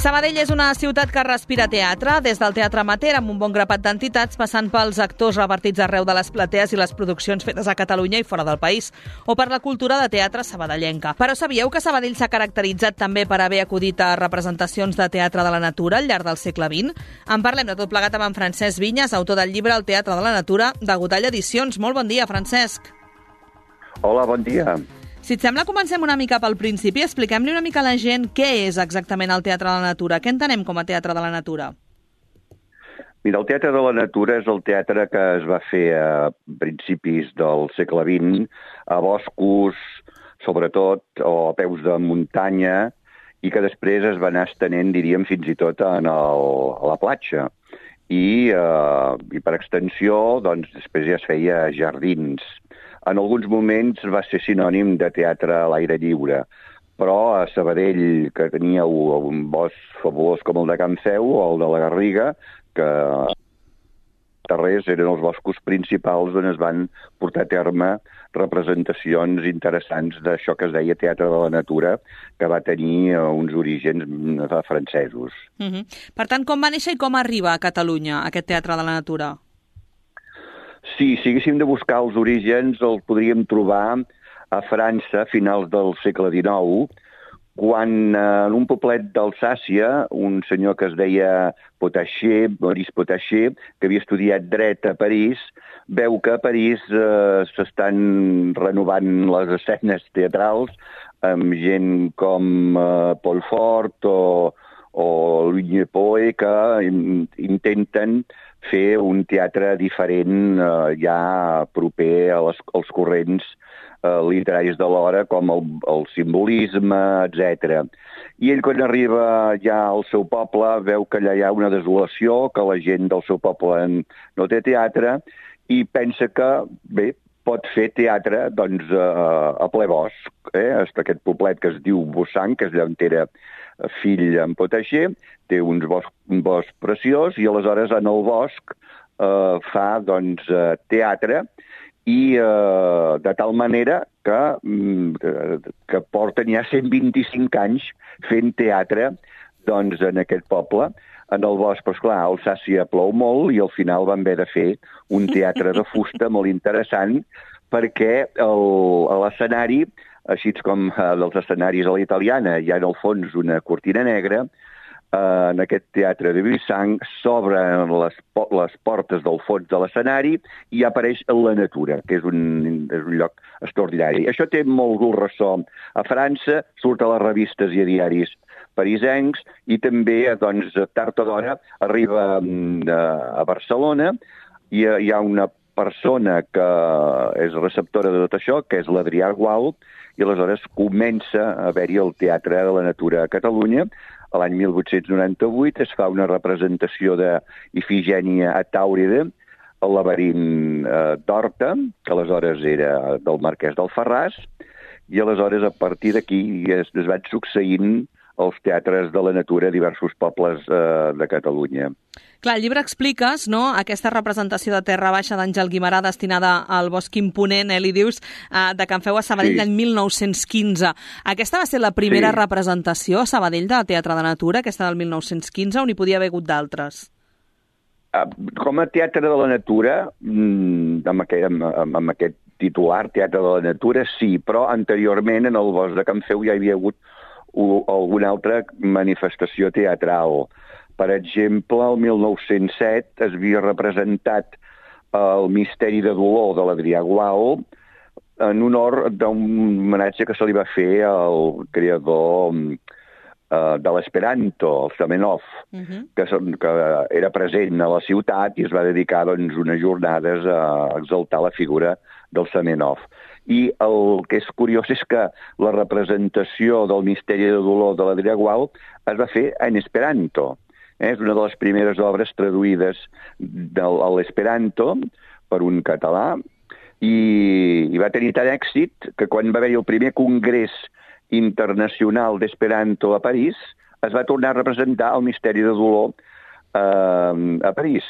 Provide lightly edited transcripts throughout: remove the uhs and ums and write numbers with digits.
Sabadell és una ciutat que respira teatre, des del teatre amateur amb un bon grapat d'entitats, passant pels actors repartits arreu de les platees i les produccions fetes a Catalunya i fora del país, o per la cultura de teatre sabadellenca. Però sabíeu que Sabadell s'ha caracteritzat també per haver acudit a representacions de teatre de la natura al llarg del segle XX? En parlem de tot plegat amb en Francesc Vinyes, autor del llibre El teatre de la natura, de Gotall Edicions. Molt bon dia, Francesc. Hola, bon dia. Si et sembla, comencem una mica pel principi. Expliquem-li una mica a la gent què és exactament el teatre de la natura. Què entenem com a teatre de la natura? Mira, el teatre de la natura és el teatre que es va fer a principis del segle XX, a boscos, sobretot, o a peus de muntanya, i que després es va anar estenent, diríem, fins i tot a la platja. I per extensió, doncs, després ja es feia jardins. En alguns moments va ser sinònim de teatre a l'aire lliure, però a Sabadell, que tenia un bosc fabulós com el de Can Feu o el de la Garriga, que darrers eren els boscos principals on es van portar a terme representacions interessants d'això que es deia teatre de la natura, que va tenir uns orígens francesos. Per tant, com va néixer i com arriba a Catalunya aquest teatre de la natura? Sí, si haguéssim de buscar els orígens, el podríem trobar a França a finals del segle XIX, quan en un poblet d'Alsàcia, un senyor que es deia Potacher, Maurice Potacher, que havia estudiat dret a París, veu que a París s'estan renovant les escenes teatrals amb gent com Paul Fort o Louis Poe, que intenten fer un teatre diferent, ja proper als corrents literaris de l'hora, com el simbolisme, etc. I ell, quan arriba ja al seu poble, veu que allà hi ha una desolació, que la gent del seu poble no té teatre, i pensa que, bé, pot fer teatre doncs, a ple bosc. Aquest poblet que es diu Bussanc, que és allà on era fill en Potacher, té un bosc preciós, i aleshores en el bosc fa doncs, teatre, i de tal manera que porten ja 125 anys fent teatre doncs, en aquest poble, en el bosc. Però, esclar, a Alsàcia plou molt i al final van haver de fer un teatre de fusta molt interessant, perquè a l'escenari, així com dels escenaris a la italiana, hi ha en el fons una cortina negra, en aquest teatre de Bussanc s'obren les portes del fons de l'escenari i apareix la natura, que és un lloc extraordinari. Això té molt ressò a França, surt a les revistes i a diaris parisencs, i també, doncs, tard o d'hora, arriba a Barcelona, i hi ha una persona que és receptora de tot això, que és l'Adrià Gual, i aleshores comença a haver-hi el Teatre de la Natura a Catalunya. A l'any 1898 es fa una representació d'Ifigènia a Tàuride, al laberint d'Horta, que aleshores era del marquès d'Alfarràs, i aleshores a partir d'aquí es van succeint els teatres de la natura a diversos pobles de Catalunya. Clar, al llibre expliques, no?, aquesta representació de Terra Baixa d'Àngel Guimerà destinada al Bosc Imponent, li dius, de Can Feu a Sabadell l'any 1915. Aquesta va ser la primera representació a Sabadell de Teatre de Natura, aquesta del 1915, o n'hi podia haver hagut d'altres? Com a Teatre de la Natura, amb aquest titular, Teatre de la Natura, sí, però anteriorment en el Bosc de Can Feu ja hi havia hagut alguna altra manifestació teatral. Per exemple, el 1907 es havia representat el Misteri de dolor de l'Adrià Gual en honor d'un homenatge que se li va fer al creador de l'Esperanto, el Zamenhof, que era present a la ciutat i es va dedicar doncs, unes jornades a exaltar la figura del Zamenhof. I el que és curiós és que la representació del Misteri de dolor de l'Adrià Gual es va fer en Esperanto. És una de les primeres obres traduïdes a l'esperanto per un català, i va tenir tant èxit que quan va haver-hi el primer congrés internacional d'Esperanto a París, es va tornar a representar el Misteri de dolor a París.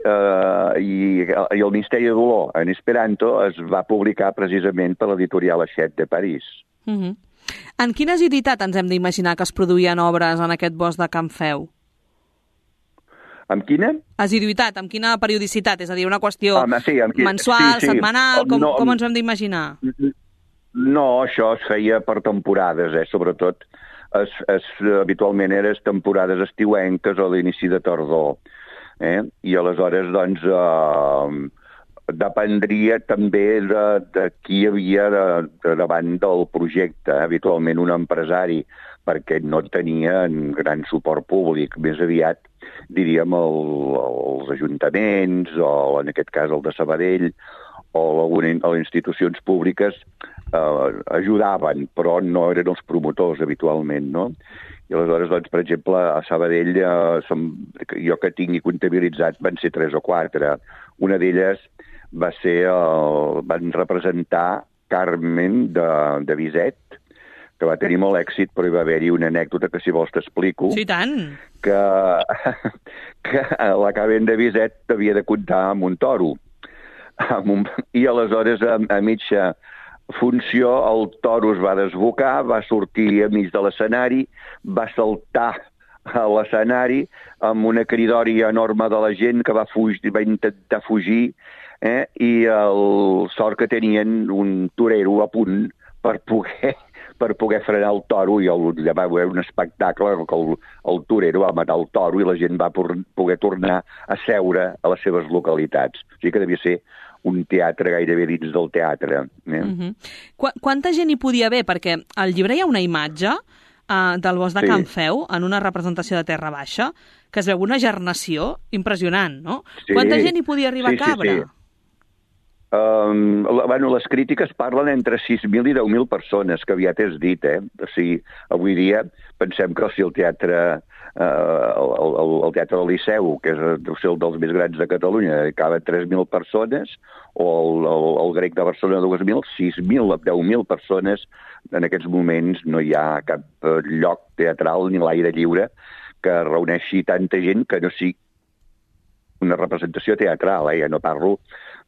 I el Misteri de dolor en Esperanto es va publicar precisament per l'editorial Hachette de París. En quina asiduïtat ens hem d'imaginar que es produïen obres en aquest bosc de Can Feu? Amb quina? Asiduïtat, amb quina periodicitat? És a dir, una qüestió mensual, sí. setmanal, com ens ho hem d'imaginar? No, això es feia per temporades, sobretot habitualment eren temporades estiuenques o l'inici de tardor. I aleshores, doncs, dependria també de qui hi havia davant del projecte. Habitualment un empresari, perquè no tenien gran suport públic, més aviat, diríem, els ajuntaments, o en aquest cas el de Sabadell, o les institucions públiques ajudaven, però no eren els promotors habitualment, no? I aleshores, doncs, per exemple, a Sabadell, jo que tingui comptabilitzat, van ser 3 o 4. Una d'elles van representar Carmen de Bizet, que va tenir molt èxit, però hi va haver-hi una anècdota que, si vols, t'explico. Sí, tant! Que la Carmen de Bizet havia de comptar amb un toro. I aleshores, a mitja funció, el toro es va desbocar, va sortir a mig de l'escenari, va saltar a l'escenari amb una cridòria enorme de la gent que va intentar fugir, i el sort que tenien un torero a punt per poder frenar el toro, i allà va haver un espectacle que el torero va matar el toro i la gent va poder tornar a seure a les seves localitats. O sigui que devia ser un teatre gairebé dins del teatre. Quanta gent hi podia haver? Perquè al llibre hi ha una imatge del bosc de Can Feu, en una representació de Terra Baixa, que es veu una gernació impressionant, no? Quanta gent hi podia arribar a cabre? Les crítiques parlen entre 6.000 i 10.000 persones, que aviat és dit, O sigui, avui dia pensem que si el teatre del Liceu, que és el dels més grans de Catalunya, caben 3.000 persones, o el Grec de Barcelona 2.000, 6.000, 10.000 persones. En aquests moments no hi ha cap lloc teatral ni l'aire lliure que reuneixi tanta gent que no sigui una representació teatral. Ja no parlo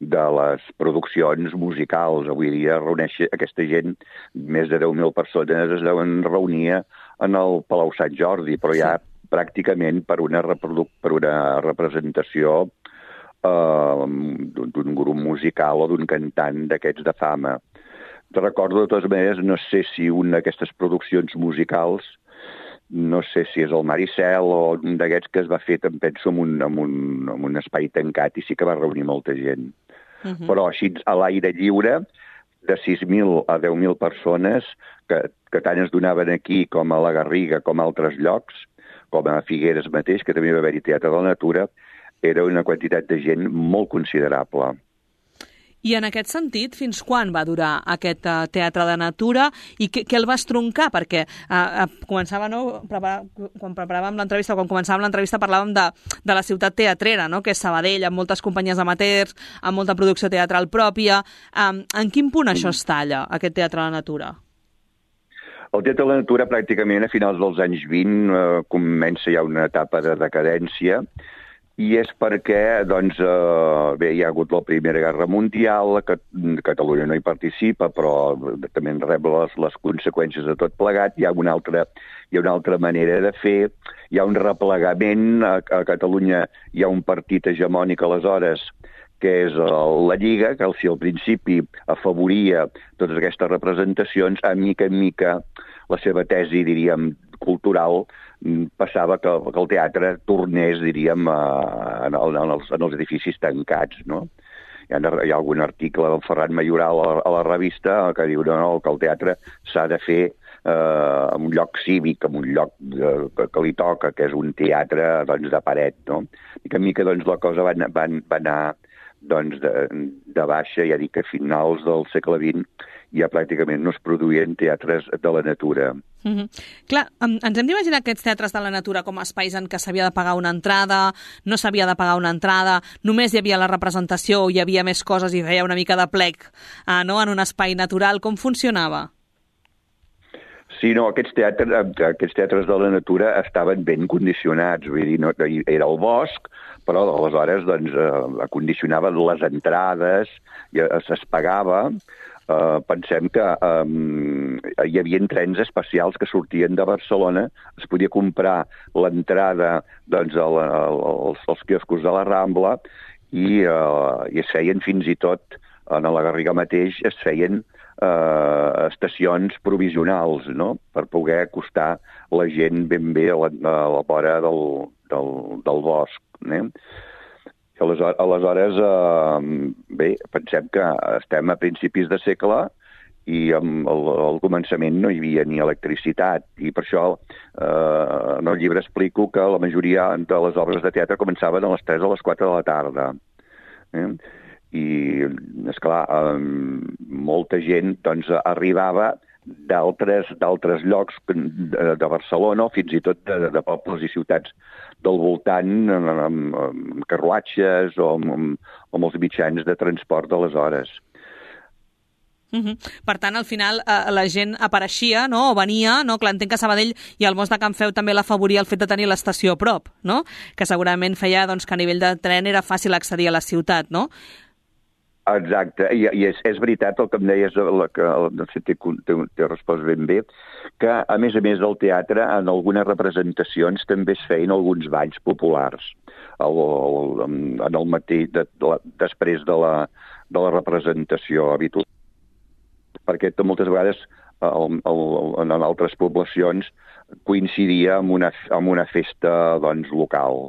de les produccions musicals. Avui dia reuneix aquesta gent, més de 10.000 persones es deuen reunir en el Palau Sant Jordi, però ja pràcticament per una representació d'un grup musical o d'un cantant d'aquests de fama. Recordo, de totes maneres, no sé si una d'aquestes produccions musicals, no sé si és el Maricel o un d'aquests que es va fer, em penso, en un espai tancat, i sí que va reunir molta gent. Però així, a l'aire lliure, de 6.000 a 10.000 persones, que tant es donaven aquí com a la Garriga, com a altres llocs, com a Figueres mateix, que també va haver-hi Teatre de la Natura, era una quantitat de gent molt considerable. I en aquest sentit, fins quan va durar aquest Teatre de Natura i què el va estroncar? Perquè començava, no? Quan preparàvem l'entrevista, quan començàvem l'entrevista, parlàvem de la ciutat teatrera, no? Que és Sabadell, amb moltes companyies amateurs, amb molta producció teatral pròpia. En quin punt això es talla, aquest Teatre de la Natura? El Teatre de la Natura, pràcticament a finals dels anys 20, comença ja una etapa de decadència, i és perquè, doncs, hi ha hagut la Primera Guerra Mundial, Catalunya no hi participa, però també en rep les conseqüències de tot plegat. Hi ha una altra manera de fer, hi ha un replegament. A Catalunya hi ha un partit hegemònic aleshores, que és la Lliga, que si al principi afavoria totes aquestes representacions, a mica en mica la seva tesi, diríem, cultural, passava que el teatre tornés, diríem, en els edificis tancats, no? Hi ha algun article del Ferran Mayoral a la revista que diu que el teatre s'ha de fer en un lloc cívic, en un lloc que li toca, que és un teatre, doncs, de paret, no? I que a mica, doncs, la cosa va anar de baixa. Ja dic que a finals del segle XX ja pràcticament no es produïen teatres de la natura. Clar, ens hem d'imaginar aquests teatres de la natura com a espais en què s'havia de pagar una entrada, no s'havia de pagar una entrada, només hi havia la representació, hi havia més coses i feia una mica de plec, no? En un espai natural. Com funcionava? Sí, no, aquests teatres de la natura estaven ben condicionats, vull dir, no, era el bosc, però aleshores doncs, acondicionaven les entrades, i es pagava. Pensem que hi havia trens especials que sortien de Barcelona, es podia comprar l'entrada doncs, als quioscos de la Rambla i es feien fins i tot, a la Garriga mateix, es feien estacions provisionals, no?, per poder acostar la gent ben bé a la vora del bosc. Aleshores, bé, pensem que estem a principis de segle i al començament no hi havia ni electricitat, i per això en el llibre explico que la majoria de les obres de teatre començaven a les 3 o les 4 de la tarda. I, esclar, molta gent doncs, arribava d'altres llocs de Barcelona o fins i tot de pobles i ciutats del voltant amb carruatges o amb els mitjans de transport d'aleshores. Per tant, al final, la gent apareixia, no?, o venia, no? Clar, entenc que Sabadell i el Most de Can Feu també l'afavoria el fet de tenir l'estació a prop, no?, que segurament feia doncs, que a nivell de tren era fàcil accedir a la ciutat, no? Exacte, i és veritat el que em deies, que no sé, t'he respost ben bé, que a més del teatre, en algunes representacions també es feien alguns balls populars en el matí, després de la representació habitual, perquè moltes vegades en altres poblacions coincidia amb una festa doncs, local.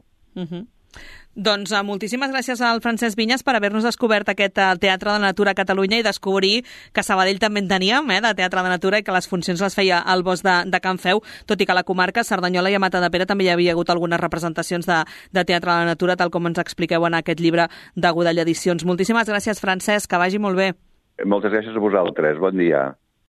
Doncs moltíssimes gràcies al Francesc Vinyes per haver-nos descobert aquest Teatre de Natura a Catalunya i descobrir que a Sabadell també en teníem, de Teatre de Natura, i que les funcions les feia al Bosc de Can Feu, tot i que a la comarca Cerdanyola i a Matadepera també hi havia hagut algunes representacions de Teatre de la Natura, tal com ens expliqueu en aquest llibre de Godall Edicions. Moltíssimes gràcies, Francesc, que vagi molt bé. Moltes gràcies a vosaltres, bon dia.